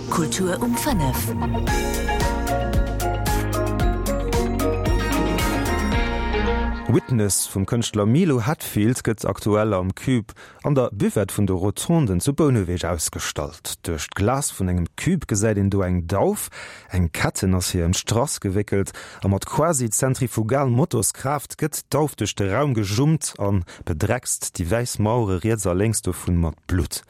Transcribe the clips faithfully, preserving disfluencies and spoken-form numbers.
Kultur um fënnef. Witness vum Kënschtler Milo Hatfield gëtt aktuell am Cube an der Buvette vun de Rotonden zu Bouneweg ausgestallt. Duerch d'Glas vun engem Cube gesäit een do eng Dauf, eng Ketten ass hir ëm d'Strass gewéckelt a mat quasi zentrifugal Motorskraaft gëtt d'Dauf duerch de Raum gejummt a bedreckst déi wäiss Mauere riets a lénks dovun mat Blutt.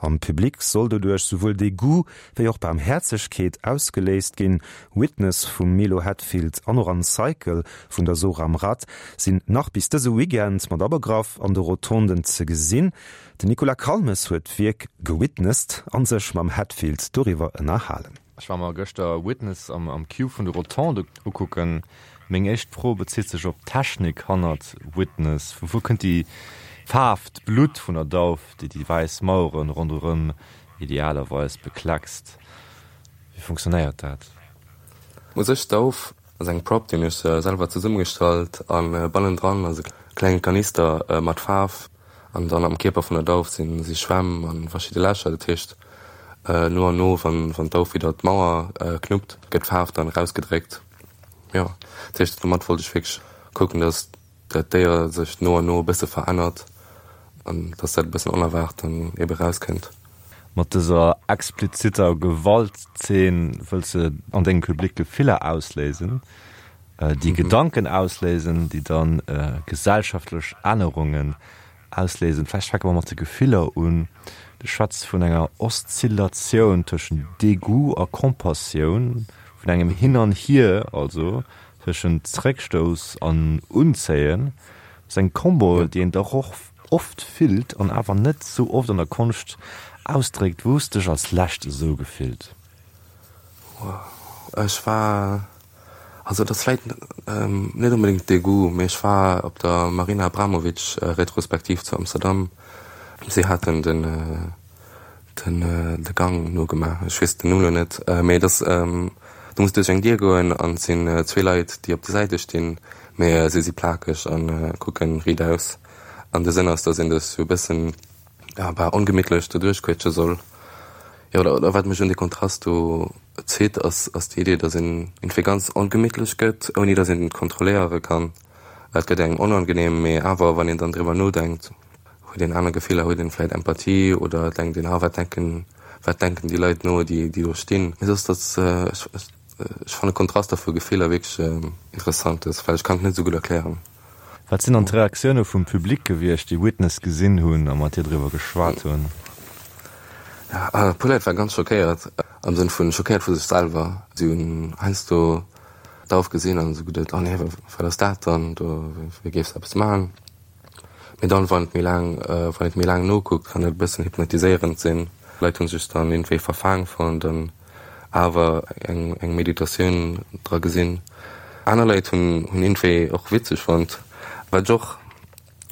Am Public soll doduerch souwuel Degoût wéi och Baarmhäerzegkeet ausgeléist ginn. Witness vum Milo Hatfield an och an Cycle vun der Zora Mrad sinn nach bis dëse Weekend mat abegraff an de Rotonden ze gesinn. Den Nicolas Calmes huet d'Wierk gewitnessed a sech mam Hatfield doriwwer ënnerhalen. Ech war mer gëschter Witness am am Cube vun de Rotonde ukucken. Meng éischt Fro bezitt sech op d'Technik hannert Witness. Vu wou kënnt déi Faarf, d'Blutt vun der Dauf, déi déi wäiss Maueren ronderëm idealerweis bekleckst? Wéi funktionéiert dat? U sech d'Dauf ass eng Prop, déi hunn ech selwer zesummegestallt a bannendran ass e klenge Kanister mat Faarf an dann am Kierper vun der Dauf si si Schwämm a verschidde Lächer. Dat heescht no an no, wann wann d'Dauf widder d'Mauer knuppt, gëtt d'Faarf dann erausgedréckt. Jo, dat heescht domat wollt ech wierklech kucken, datt dat Déier sech no an no e bësse verännert an dass dat e bëssen onerwaart dann ebe rauskënnt. Mat dëser explizitter Gewaltzeen wëlls de an dengem Public Gefiller ausléisen, déi Gedanken ausléisen, déi dann gesellschaftlech Ännerungen ausléisen. Vläicht fänke mer mat de Gefiller un. Du schwätz vun enger Oszillatioun tëschent Degoût a Compassioun, vun engem Hin an Hier also, Tëschent Zréckstouss an Unzéien. Dat ass eng Kombo, déi een dach och oft fillt an awer net sou oft an der Konscht ausdréckt. Wou hues de dech als lescht esou gefillt? Ech war, also et ass vläit net onbedéngt Degoût, mee ech war op der Marina Abramovic Retrospektiv zu Amsterdam. Si haten den den de Gang nogemaach, ech weess den Numm elo net, mee et ass, du muss duerch eng Dier goen an et sinn zwee Leit, déi op de Säite stinn, mee si si plakeg a kucken riit aus. An de Sënn ass, datt een dech sou e bëssen, ja, bal ongemittlech doduerch quetsche soll. Jo, oder oder wat mech un dee Kontrast do zitt, ass ass déi Idee, datt een iergendwéi ganz ongemittlech gëtt, ouni datt een et kontrolléiere kann. Et gëtt engem onangenehm, mee awer wann een dann driwwer nodenkt, huet een aner Gefiller, huet een vläit Empathie oder denkt een, ah wat denken, wat denken déi Leit no, déi déi do stinn. Mee soss dat, ech ech fannen Kontraster vu Gefiller wierklech interessant, well ech kann et net esou gutt erklären. Wat sinn dann d'Reaktioune vum Public gewiescht, déi Witness gesinn hunn a mat dir driwwer geschwat hunn? Ja, e puer Leit ware ganz schockéiert, am Sënn vu schockéiert vu sech selwer. Si hunn heiansdo d'Dauf gesinn an esou geduet, oh nee, wat ass dat dann do, wéi géifs de eppes maachen? Mee dann, wann et méi laang, wann et méi laang nokuckt, kann et e bëssen hypnotiséierend sinn. Leit hu sech dann iergendwéi verfaang fonnt an awer eng, eng Meditatioun dra gesinn. Aner Leit hunn, hunn iergendwéi och witzeg fonnt, wat ech och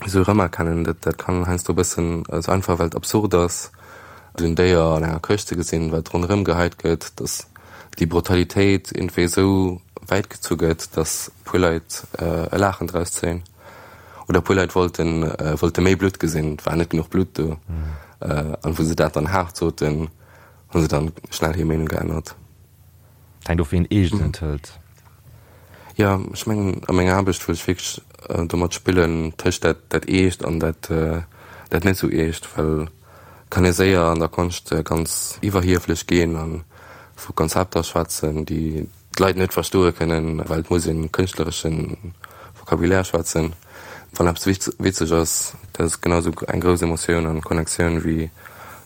esou erëmerkennen. Dat, dat kann heiansdo e bëssen esou einfach, well et absurd ass, esou en Déier an enger Këscht ze gesinn, wat ronderëm geheit gëtt, dass déi Brutalitéit iergendwéi esou wäit gezu gëtt, dass e puer Leit e Laachen draus zéien. Oder e puer Leit wollten, wollte méi Blutt gesinn, et war net genuch Blutt do. An wou se dat dann haart soten, hu se dann schnell hir Meenung geännert. Et hänkt of wéi een eescht een et hëlt. Jo, ech mengen a menger Aarbecht wëll ech wierklech domat spillen, tëscht dat, dat Eescht an dat, dat net esou Eescht, well et kann ee séier an der Konscht ganz iwwerhieflech ginn a vu Konzepter schwätzen, déi d'Leit net verstoe kënnen, well et muss ee kënschtleresche Vocabulaire schwätzen. Wann eppes witzeg ass, dat ass genau esou eng grouss Emotioun an Connectioun, wéi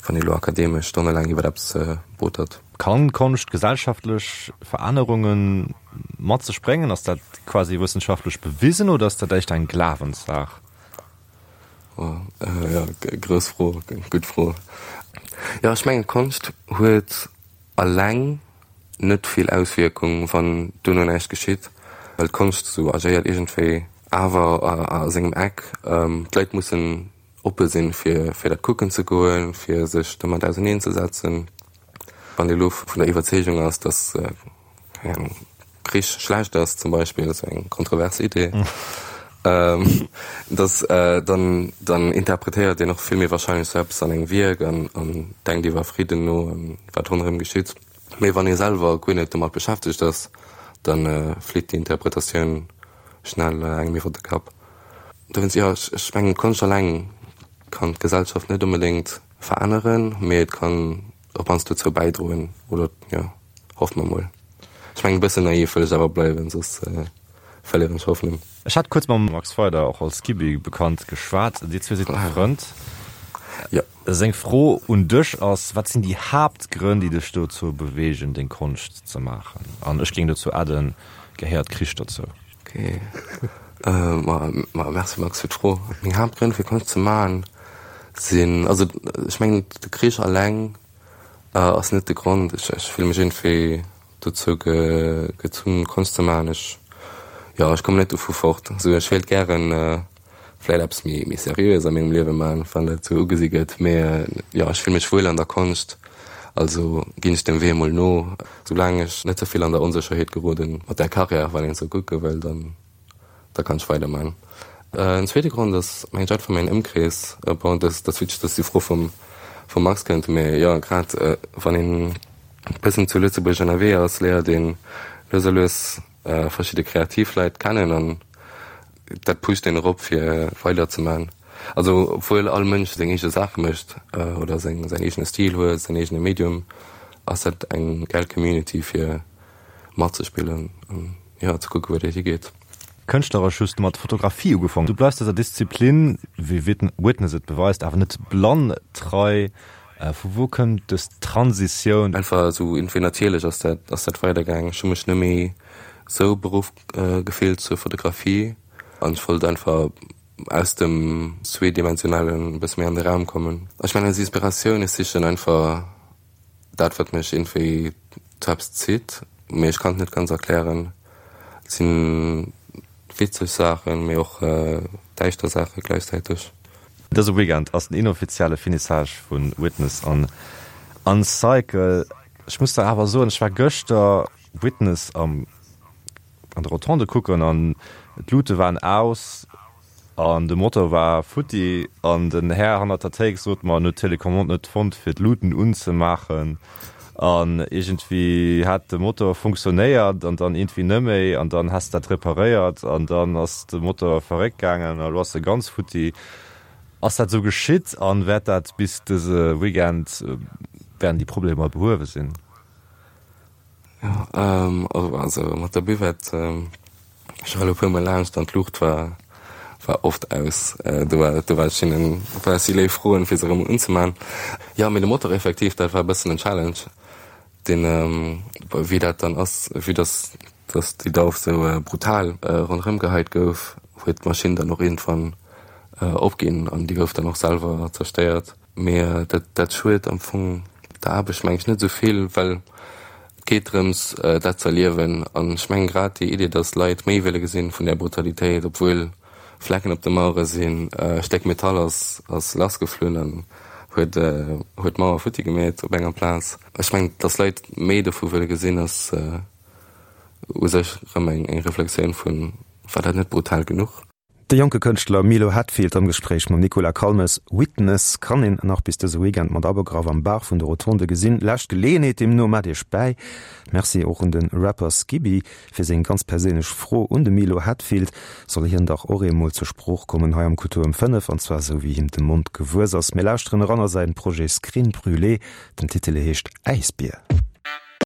wann ee elo akademesch stonnelaang iwwer eppes botert. Kann Konscht gesellschaftlech Verännerunge mat sech bréngen? Ass dat quasi wëssenschaftlech bewisen oder ass dat éischter eng Glawenssaach? Jo, grouss Fro, gutt Fro. Jo, ech mengen Konscht huet alleng net vill Auswierkung, wann duerno näischt geschitt, well d'Konscht esou agéiert iergendwéi awer a sengem Eck. D'Leit mussen oppe sinn, fir fir dat kucken ze goen, fir sech domat auserneen ze setzen. Wann ee elo vun der Iwwerzeegung ass, datt, keng Ahnung, Krich schlecht ass zum Beispill, dat ass eng kontrovers Idee, Dass dann dann interpretéiert een och vill méi warscheinlech sou eppes an engem Wierk an an denkt iwwer Fridden no an wat ronderëm geschitt. Mee wann ee selwer guer net domat beschäftegt ass, da flitt déi Interpretatioun schnell engem iwwer de Kapp. Dowéinst, jo, ech ech mengen Konscht alleng kann d'Gesellschaft net onbedéngt veränneren, mee et kann op mannst dozou bäidroen, oder jo, hoffe mer mol. Ech mengen e bëssen naiv wëll ech awer bleiwen, soss verléieren ech Hoffnung. Ech hat kuerz mam Max Feider, och als Gibi bekannt, geschwat. Dir zwee sidd befrënnt. Jo. Seng Fro un dech ass, Wat sinn déi Haaptgrënn, déi dech dozou beweegen, deng Konscht ze maachen? An ech géing dozou adden, Gehéiert Krich dozou? Ok. Ma merci Max fir d'Fro. Meng Haaptgrënn fir Konscht ze maachen sinn, also ech mengen de Krich alleng ass net de Grond. Ech ech fille mech iergendwéi dozou gezunn Konscht ze maachen. Ech, jo, ech kommen net dovu fort. Esou ech wéilt gären vläit eppes méi méi seriöes a mengem Liewe maachen, wann dat esou ugesi gëtt. Mee jo, ech fille mech wuel an der Konscht, also ginn ech dem Wee emol no. Soulaang ech net ze vill an der Onsécherheet geroden mat där Karriär, wann een esou kucke wëll, dann da kann ech weiderman. En zweete Grond ass mengen ech einfach mäin Ëmkrees. Bon, dat ass witzeg, dass déi Fro vum vum Max kënnt, mee jo, grad wann een e bëssen zu Lëtzebuerg ënnerwee ass, léiert een lues a lues verschidde kreativ Leit kennen an dat pusht een erop fir weider ze man. Also obwuel all Mënsch seng eege Saache mécht oder seng säin eegene Stil huet, säin eegene Medium, ass dat eng gäil Community fir matzespillen an jo ze kucke wou dat higeet. Kënschtleresch hues du mat Fotografie ugefaangen. Du bleifs dëser Disziplin, wéi Witness et beweist, awer net blann trei. Vu wou kënnt dës Transitioun? Einfach esou iergendwéi natierlech ass dat ass dat weidergaangen. Ech hu mech net méi esou beruff gefillt zur Fotografie an ech wollt einfach aus dem Zweedimensionalen e bësse méi an de Raum kommen. Ech mengen als Inspiratioun, ech sichen einfach dat wat mech iergendwéi zu eppes zitt, mee ech kann et net ganz erklären. Et sinn witzeg Saachen, mee och däischter Saache gläichzäiteg. Dëse Weekend ass den inoffizielle Finissage vu Witness an Uncycle. Ech muss der awer soen, ech war gëschter Witness am an de Rotonde kucken an d'Luute waren aus an de Motor war futti an den Här hannert der Théik sot mer, en huet d'Telecommande net fonnt fir d'Luuten unzemaachen an iergendwéi hat de Motor funktionéiert an dann iergendwéi neméi an dann häss dat reparéiert an dann ass de Motor verréckt gaangen a lo ass e ganz futti. Ass dat esou geschitt an wäert dat bis dëse Weekend, wäerten déi Problemer behuewe sinn? Jo, also mat der Buvette, ech war elo e puer mol laanscht an d'Luucht war war oft aus. Do war do war ech hinnen, war ech si léif froen, fir se erëm unzemaachen. Jo, mee de Motor effektiv, dat war e bëssen en Challenge, deen, wéi dat dann ass, vue dass dass déi Dauf sou brutal ronderëm geheit gouf, huet d'Maschinn dann och iergendwann opginn an déi gouf dann och selwer zerstéiert. Mee dat dat schued am Fong der Aarbecht meng ech net esou vill, well et geet drëms dat ze erliewen. An ech mengen grad déi Idee, datt Leit méi wëlle gesinn vun där Brutalitéit, obwuel Flecken op de Mauere sinn, e Stéck Metall ass ass lassgeflunn an huet huet d'Mauer futti gemeet op enger Plaz. Ech mengen, datt Leit méi dovu wëlle gesinn ass u sech erëm eng eng Reflexioun vun, war dat net brutal genuch? De jonke Kënschtler Milo Hatfield am Gespréich mam Nicolas Calmes. Witness kann een nach bis dëse Weekend mat abegraff am Bar vun de Rotonde gesinn. Lescht Geleeënheet deemno, maacht iech bäi. Merci och un de Rapper Skiby fir seng ganz perséinlech Fro un de Milo Hatfield. Soll hien dach och eemol zur Sprooch kommen hei am Kultur um fënnef, an zwar esou wéi him de Mond gewuess ass. Mir lauschteren eran a säin Projet Screen Brûlé. Den Titel heescht Äisbier.